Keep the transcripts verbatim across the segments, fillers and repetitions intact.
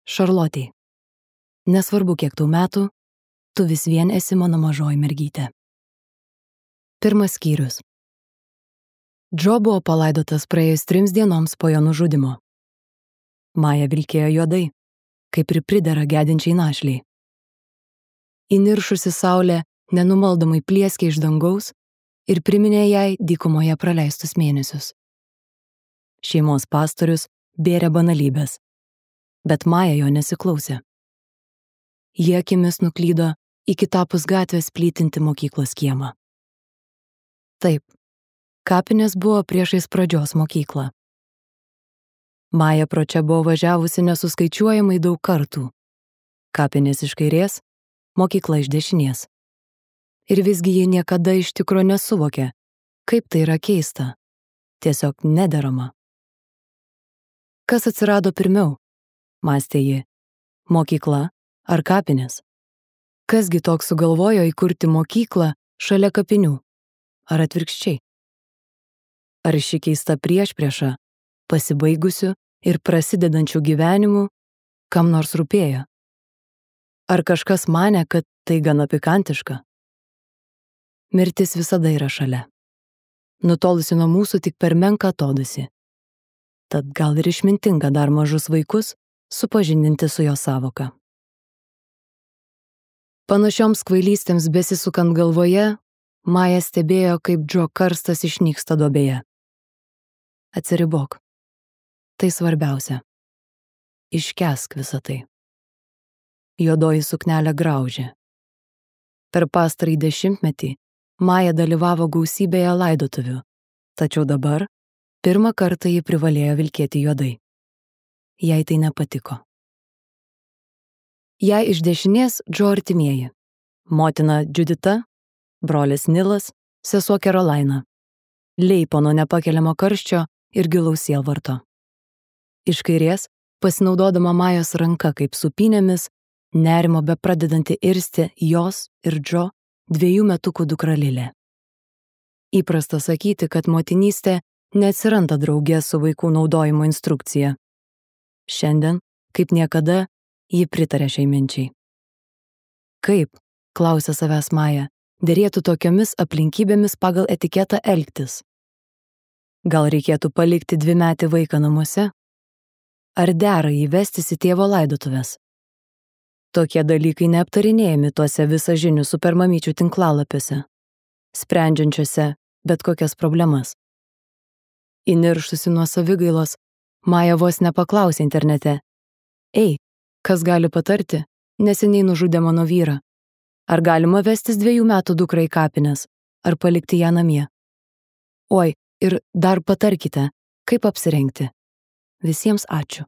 Šarlotei. Nesvarbu, kiek tau metų, tu vis vien esi mano mažoji mergytė. Pirmas skyrius. Džo buvo palaidotas praėjus trims dienoms po jo nužudimo. Maja vilkėjo juodai, kaip ir pridera gedinčiai našliai. Įniršusi saulė nenumaldomai plieskė iš dangaus ir priminė jai dykumoje praleistus mėnesius. Šeimos pastorius bėrė banalybės, bet Maja jo nesiklausė. Jie akimis nuklydo į kitapus gatvės plytinti mokyklos kiemą. Taip, kapinės buvo priešais pradžios mokyklą. Maja pro čia buvo važiavusi nesuskaičiuojamai daug kartų. Kapinės iš kairės, mokykla iš dešinės. Ir visgi ji niekada iš tikro nesuvokė, kaip tai yra keista, tiesiog nederama. Kas atsirado pirmiau, mąstė ji, mokykla ar kapinės? Kasgi toks sugalvojo įkurti mokyklą šalia kapinių, ar atvirkščiai? Ar ši keista priešprieša, pasibaigusių ir prasidedančių gyvenimų, kam nors rūpėjo? Ar kažkas manė, kad tai gana pikantiška? Mirtis visada yra šalia. Nutolusi nuo mūsų tik per menką atodūsį. Tad gal ir išmintinga dar mažus vaikus supažindinti su jo sąvoka. Panašioms kvailystėms besisukant galvoje, Maja stebėjo, kaip Džo karstas išnyksta duobėje. Atsiribok. Tai svarbiausia. Iškęsk visą tai. Juodoji suknelė graužė. Per pastarąjį dešimtmetį Maja dalyvavo gausybėje laidotuvių, tačiau dabar pirmą kartą ji privalėjo vilkėti juodai. Jai tai nepatiko. Jai iš dešinės Džo artimieji. Motina Judita, brolis Nilas, sesuo Carolina. Leipo nuo nepakeliamo karščio ir gilaus sielvarto. Iš kairės, pasinaudodama Majos ranka kaip supynėmis, nerimo bepradedanti irsti jos ir Džo dviejų metukų dukra Lilė. Įprasta sakyti, kad motinystė neatsiranda drauge su vaikų naudojimo instrukcija. Šiandien, kaip niekada, ji pritarė šiai minčiai. Kaip, klausė savęs Maja, derėtų tokiomis aplinkybėmis pagal etiketą elgtis? Gal reikėtų palikti dvimetį vaiką namuose? Ar dera jį vestis į tėvo laidotuves? Tokie dalykai neaptarinėjami tuose visažinių supermamyčių tinklalapiuose, sprendžiančiuose bet kokias problemas. Įniršusi nuo savigailos, Maja vos nepaklausė internete. Ei, kas gali patarti, neseniai nužudė mano vyrą? Ar galima vestis dviejų metų dukrą į kapines, ar palikti ją namie? Oi, ir dar patarkite, kaip apsirengti. Visiems ačiū.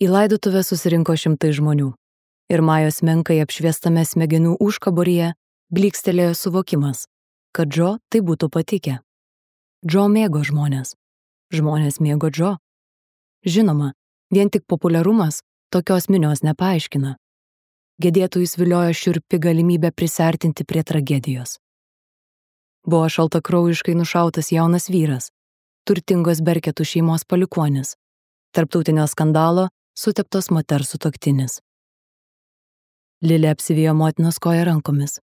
Į laidotuvę susirinko šimtai žmonių, ir Majos menkai apšviestame smegenų užkaboryje blykstelėjo suvokimas, kad Džo tai būtų patikę. Džo mėgo žmonės. Žmonės mėgo Džo. Žinoma, vien tik populiarumas tokios minios nepaaiškina. Gedėtojus viliojo šiurpi galimybė prisartinti prie tragedijos. Buvo šaltakraujiškai nušautas jaunas vyras, turtingos Berketų šeimos palikuonis, tarptautinio skandalo suteptos moters sutuoktinis. Lilė apsivijo motinos koją rankomis.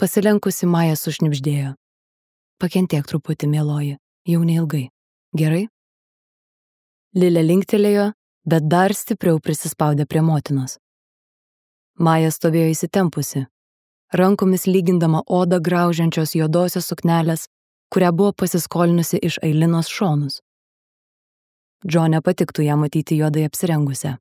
Pasilenkusi Maja sušnibždėjo. Pakentėk truputį, mieloji, jau neilgai. Gerai? Lilė linktelėjo, bet dar stipriau prisispaudė prie motinos. Maja stovėjo įsitempusi, rankomis lygindama odą graužiančios juodosios suknelės, kurią buvo pasiskolinusi iš Ailinos šonus. Džo nepatiktų ją matyti juodai apsirengusią.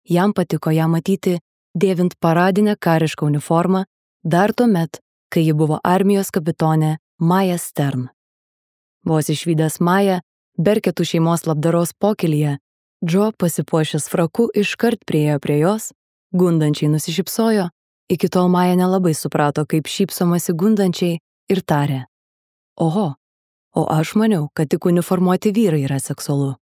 Jam patiko ją matyti dėvint paradinę karišką uniformą dar tuomet, kai ji buvo armijos kapitonė Maja Stern. Vos išvydęs Mają, Berketų šeimos labdaros pokylyje, Džo pasipuošęs fraku iškart priėjo prie jos, gundančiai nusišypsojo, iki tol Maja nelabai suprato, kaip šypsomasi gundančiai ir tarė. Oho, o aš maniau, kad tik uniformuoti vyrai yra seksualu.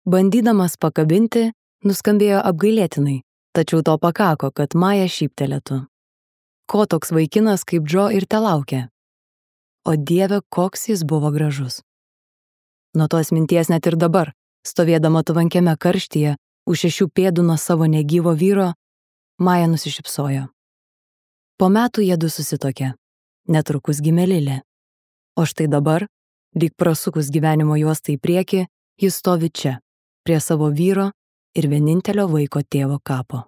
Bandydamas pakabinti, nuskambėjo apgailėtinai, tačiau to pakako, kad Maja šyptelėtų. Ko toks vaikinas kaip Džo ir telaukė? O Dieve, koks jis buvo gražus. Nuo tos minties net ir dabar, stovėdama tvankiame karštyje, Už šešių pėdų nuo savo negyvo vyro Maja nusišypsojo. Po metų jiedu susitokė. Netrukus gimė Lilė. O štai dabar, lyg prasukus gyvenimo juostą į priekį, jis stovi čia, prie savo vyro ir vienintelio vaiko tėvo kapo.